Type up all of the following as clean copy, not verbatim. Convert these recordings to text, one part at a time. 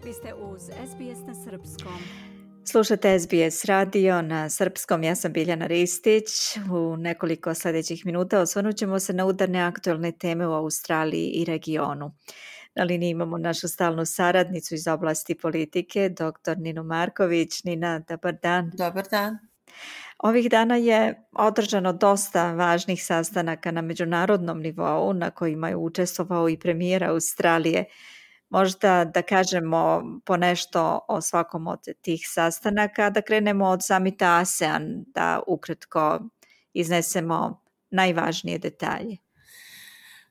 Vi ste uz SBS na srpskom. Slušate SBS radio na srpskom, ja sam Biljana Ristić. U nekoliko sljedećih minuta osvrnut ćemo se na udarne aktualne teme u Australiji i regionu. Na liniji imamo našu stalnu saradnicu iz oblasti politike, dr. Ninu Marković. Nina, dobar dan. Dobar dan. Ovih dana je održano dosta važnih sastanaka na međunarodnom nivou na kojima je učestvovao i premijer Australije. Možda da kažemo ponešto o svakom od tih sastanaka, da krenemo od samita ASEAN, da ukratko iznesemo najvažnije detalje.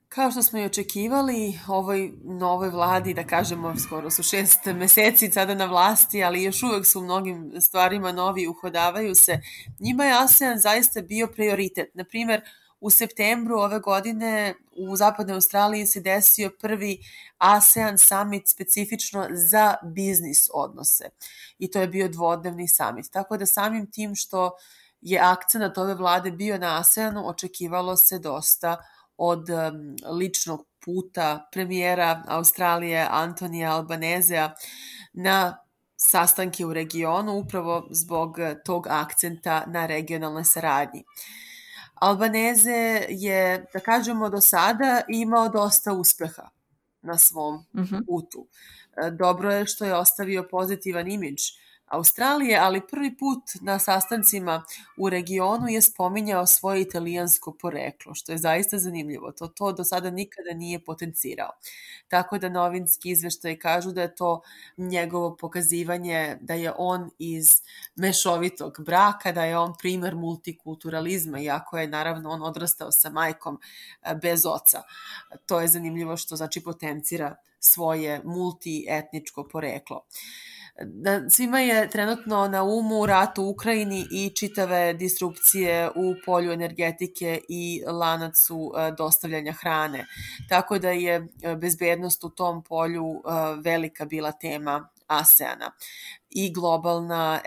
Kao što smo i očekivali, ovoj novoj vladi, da kažemo, skoro su 6 meseci sada na vlasti, ali još uvek su u mnogim stvarima novi, uhodavaju se. Njima je ASEAN zaista bio prioritet. Naprimjer, u septembru ove godine u Zapadnoj Australiji se desio prvi ASEAN summit specifično za biznis odnose. I to je bio dvodnevni summit. Tako da samim tim što je akcenat ove vlade bio na ASEANu, očekivalo se dosta od ličnog puta premijera Australije Antonija Albanezea na sastanke u regionu, upravo zbog tog akcenta na regionalnoj saradnji. Albaneze je, da kažemo, do sada imao dosta uspeha na svom putu. Dobro je što je ostavio pozitivan imidž Australije, ali prvi put na sastancima u regionu je spominjao svoje italijansko poreklo, što je zaista zanimljivo. To do sada nikada nije potencirao. Tako da novinski izveštaji kažu da je to njegovo pokazivanje da je on iz mešovitog braka, da je on primer multikulturalizma, iako je naravno on odrastao sa majkom bez oca. To je zanimljivo što znači potencira svoje multietničko poreklo. Svima je trenutno na umu rat u Ukrajini i čitave disrupcije u polju energetike i lanacu dostavljanja hrane. Tako da je bezbednost u tom polju velika bila tema ASEANA i globalna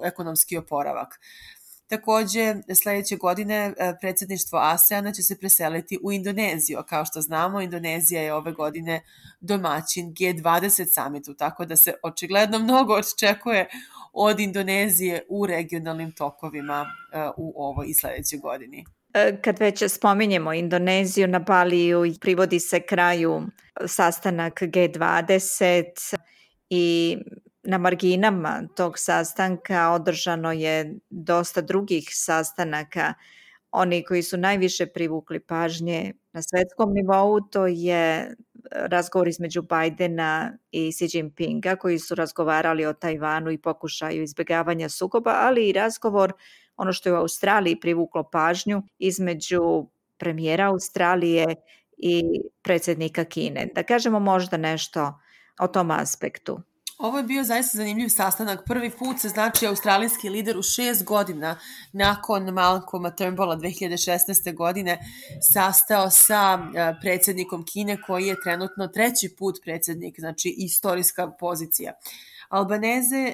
ekonomski oporavak. Takođe, sljedeće godine predsjedništvo ASEANA će se preseliti u Indoneziju. Kao što znamo, Indonezija je ove godine domaćin G20 summitu, tako da se očigledno mnogo očekuje od Indonezije u regionalnim tokovima u ovoj i sljedećoj godini. Kad već spominjemo Indoneziju, na Baliju privodi se kraju sastanak G20 i na marginama tog sastanka održano je dosta drugih sastanaka. Oni koji su najviše privukli pažnje na svetskom nivou, to je razgovor između Bidena i Xi Jinpinga, koji su razgovarali o Tajvanu i pokušaju izbjegavanja sukoba, ali i razgovor, ono što je u Australiji privuklo pažnju, između premijera Australije i predsjednika Kine. Da kažemo možda nešto o tom aspektu. Ovo je bio zaista zanimljiv sastanak. Prvi put se znači australijski lider u 6 godina nakon Malcolma Turnbulla 2016. godine sastao sa predsjednikom Kine, koji je trenutno 3. put predsjednik, znači istorijska pozicija. Albaneze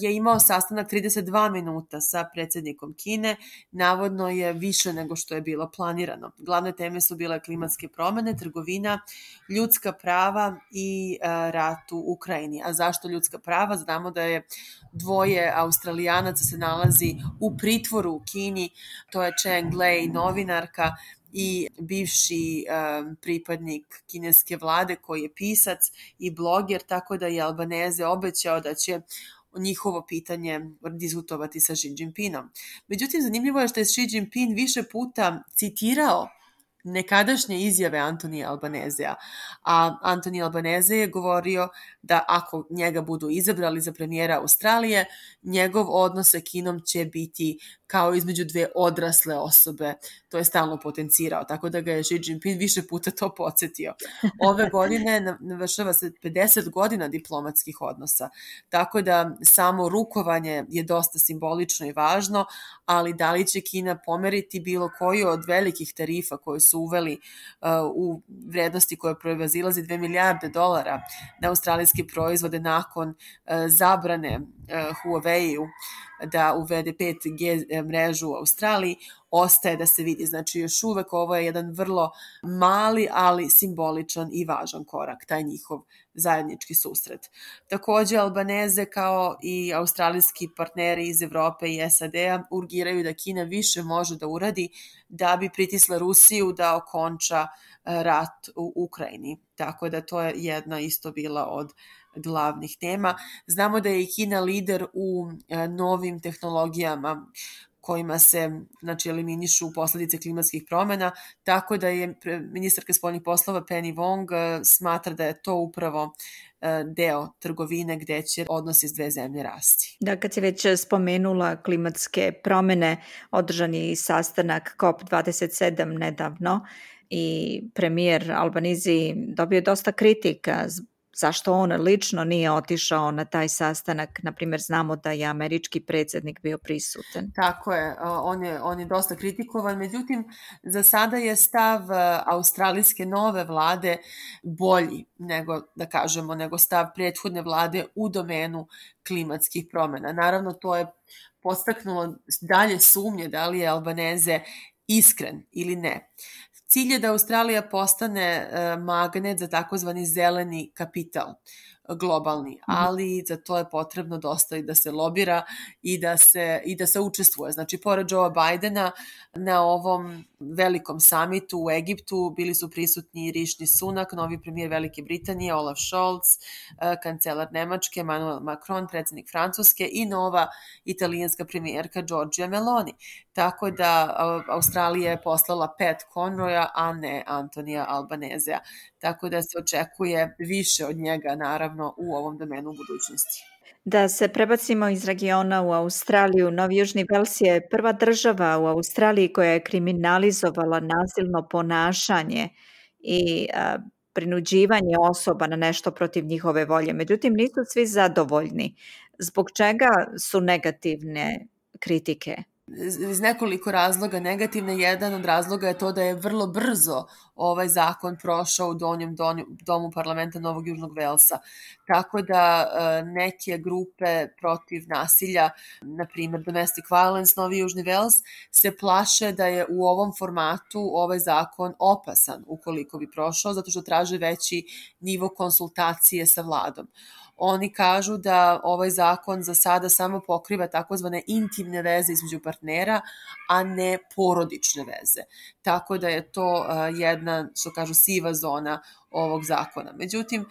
je imao sastanak 32 minuta sa predsjednikom Kine, navodno je više nego što je bilo planirano. Glavne teme su bile klimatske promjene, trgovina, ljudska prava i rat u Ukrajini. A zašto ljudska prava? Znamo da je 2 Australijanaca se nalazi u pritvoru u Kini, to je Cheng Lei, novinarka, i bivši pripadnik kineske vlade koji je pisac i bloger, tako da je Albaneze obećao da će njihovo pitanje diskutovati sa Xi Jinpingom. Međutim, zanimljivo je što je Xi Jinping više puta citirao nekadašnje izjave Antonija Albanezea, a Antoni Albaneze je govorio da ako njega budu izabrali za premijera Australije, njegov odnos sa Kinom će biti kao između 2 odrasle osobe. To je stalno potencirao, tako da ga je Xi Jinping više puta to podsjetio. Ove godine navršava se 50 godina diplomatskih odnosa, tako da samo rukovanje je dosta simbolično i važno, ali da li će Kina pomeriti bilo koju od velikih tarifa koje su uveli u vrednosti koje prevazilazi $2 milijarde na australijske proizvode nakon zabrane Huawei-u da uvede 5G mrežu u Australiji, ostaje da se vidi. Znači, još uvek ovo je jedan vrlo mali, ali simboličan i važan korak, taj njihov zajednički susret. Takođe, Albaneze kao i australijski partneri iz Evrope i SAD-a urgiraju da Kina više može da uradi da bi pritisla Rusiju da okonča rat u Ukrajini. Tako da to je jedna isto bila od glavnih tema. Znamo da je i Kina lider u novim tehnologijama kojima se eliminišu posledice klimatskih promjena, tako da je ministarka spoljnih poslova Penny Wong smatra da je to upravo deo trgovine gde će odnosi s dve zemlje rasti. Da, kad si već spomenula klimatske promjene, održan je i sastanak COP27 nedavno i premijer Albanizi dobio dosta kritika zašto on lično nije otišao na taj sastanak. Naprimjer, znamo da je američki predsjednik bio prisutan. Tako je, on je dosta kritikovan, međutim, za sada je stav australijske nove vlade bolji nego stav prethodne vlade u domenu klimatskih promjena. Naravno, to je podstaknulo dalje sumnje da li je Albaneze iskren ili ne. Cilj je da Australija postane magnet za takozvani zeleni kapital globalni, ali za to je potrebno dosta i da se lobira i da se učestvuje. Znači, pored Joea Bidena na ovom velikom samitu u Egiptu bili su prisutni Rishi Sunak, novi premijer Velike Britanije, Olaf Scholz, kancelar Nemačke, Emmanuel Macron, predsjednik Francuske i nova italijanska premijerka Giorgia Meloni. Tako da Australija je poslala Pat Conroya, a ne Antonija Albanezea. Tako da se očekuje više od njega, naravno, u ovom domenu u budućnosti. Da se prebacimo iz regiona u Australiju, Novi Južni Vels je prva država u Australiji koja je kriminalizovala nasilno ponašanje i prinuđivanje osoba na nešto protiv njihove volje. Međutim, nisu svi zadovoljni. Zbog čega su negativne kritike? Iz nekoliko razloga negativne. Jedan od razloga je to da je vrlo brzo ovaj zakon prošao u donjem domu parlamenta Novog Južnog Velsa. Tako da neke grupe protiv nasilja, na primjer Domestic Violence Novi Južni Vels, se plaše da je u ovom formatu ovaj zakon opasan ukoliko bi prošao, zato što traže veći nivo konsultacije sa vladom. Oni kažu da ovaj zakon za sada samo pokriva takozvane intimne veze između partnera, a ne porodične veze. Tako da je to jedna, što kažu, siva zona ovog zakona. Međutim,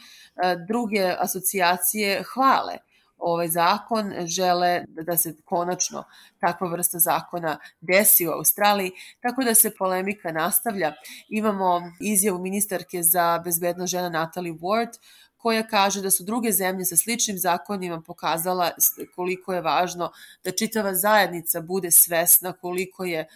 druge asocijacije hvale ovaj zakon, žele da se konačno takva vrsta zakona desi u Australiji, tako da se polemika nastavlja. Imamo izjavu ministarke za bezbednost žena Natalie Ward, koja kaže da su druge zemlje sa sličnim zakonima pokazala koliko je važno da čitava zajednica bude svesna koliko je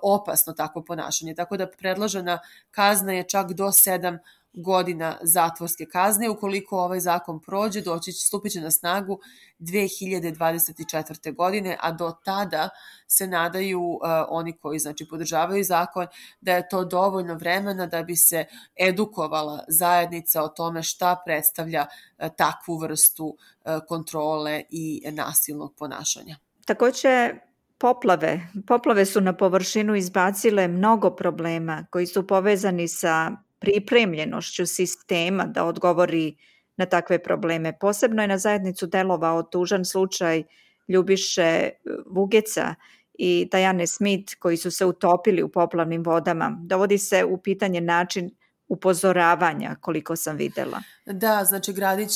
opasno takvo ponašanje. Tako da predložena kazna je čak do 7 godina zatvorske kazne. Ukoliko ovaj zakon prođe, stupit će na snagu 2024. godine, a do tada se nadaju oni koji podržavaju zakon da je to dovoljno vremena da bi se edukovala zajednica o tome šta predstavlja takvu vrstu kontrole i nasilnog ponašanja. Također, Poplave su na površinu izbacile mnogo problema koji su povezani sa pripremljenošću sistema da odgovori na takve probleme. Posebno je na zajednicu delovao tužan slučaj Ljubiše Vugeca i Diane Smith koji su se utopili u poplavnim vodama. Dovodi se u pitanje način upozoravanja, koliko sam videla. Da, znači gradić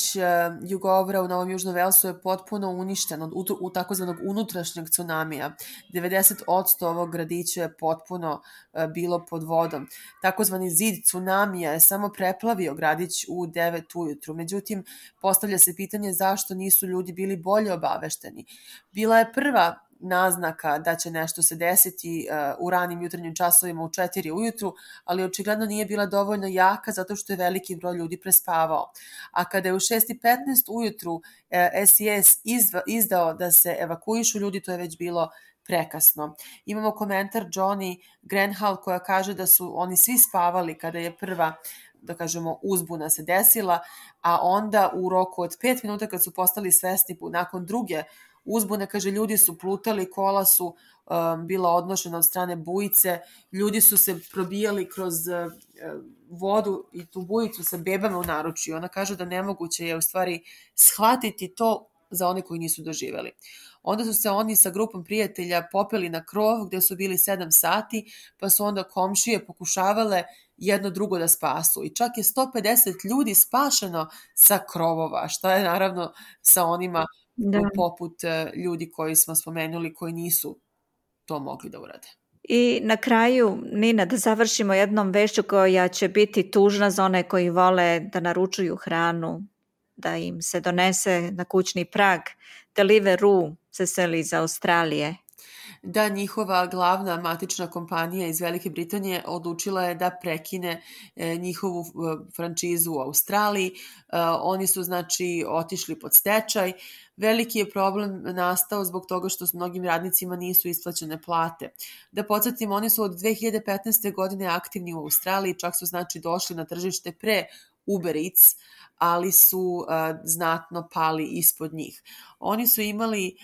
Jugovra u Novom Južnom Velsu je potpuno uništen u takozvanog unutrašnjeg tsunamija. 90% ovog gradića je potpuno bilo pod vodom. Takozvani zid tsunamija je samo preplavio gradić u 9 ujutru. Međutim, postavlja se pitanje zašto nisu ljudi bili bolje obavešteni. Bila je prva naznaka da će nešto se desiti u ranim jutarnjim časovima u 4 ujutru, ali očigledno nije bila dovoljno jaka zato što je veliki broj ljudi prespavao. A kada je u 6:15 ujutru SES izdao da se evakuišu ljudi, to je već bilo prekasno. Imamo komentar Johnny Grenhall koja kaže da su oni svi spavali kada je prva da kažemo, uzbuna se desila, a onda u roku od 5 minuta kad su postali svesni nakon druge uzbune, kaže, ljudi su plutali, kola su bila odnošena od strane bujice, ljudi su se probijali kroz vodu i tu bujicu sa bebama u naručju. Ona kaže da nemoguće je u stvari shvatiti to za one koji nisu doživeli. Onda su se oni sa grupom prijatelja popeli na krov gde su bili 7 sati, pa su onda komšije pokušavale jedno drugo da spasu. I čak je 150 ljudi spašeno sa krovova, što je naravno sa onima poput ljudi koji smo spomenuli koji nisu to mogli da urade. I na kraju, Nina, da završimo jednom vešću koja će biti tužna za one koji vole da naručuju hranu, da im se donese na kućni prag. Deliveroo se seli iz Australije. Da, njihova glavna matična kompanija iz Velike Britanije odlučila je da prekine njihovu frančizu u Australiji. Oni su znači otišli pod stečaj. Veliki je problem nastao zbog toga što s mnogim radnicima nisu isplaćene plate. Da podsjetimo, oni su od 2015. godine aktivni u Australiji, čak su znači došli na tržište pre Uber Eats, ali su znatno pali ispod njih. Oni su imali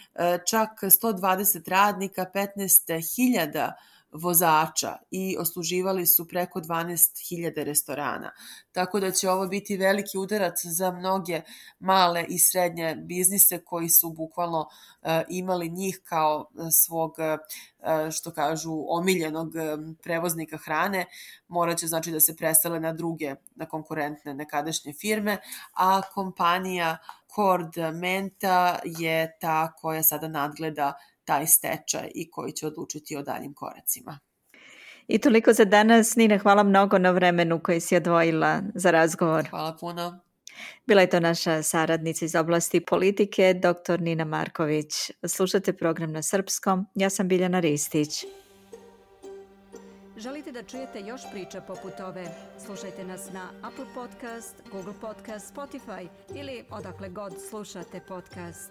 čak 120 radnika, 15.000 vozača i osluživali su preko 12.000 restorana. Tako da će ovo biti veliki udarac za mnoge male i srednje biznise koji su bukvalno imali njih kao svog, što kažu, omiljenog prevoznika hrane. Morat će znači da se presele na druge, na konkurentne nekadašnje firme, a kompanija Cord Menta je ta koja sada nadgleda taj stečaj i koji će odlučiti o daljim koracima. I toliko za danas. Nina, hvala mnogo na vremenu koji si odvojila za razgovor. Hvala puno. Bila je to naša saradnica iz oblasti politike, dr. Nina Marković. Slušate program na srpskom. Ja sam Biljana Ristić. Želite da čujete još priča poput ove? Slušajte nas na Apple Podcast, Google Podcast, Spotify ili odakle god slušate podcast.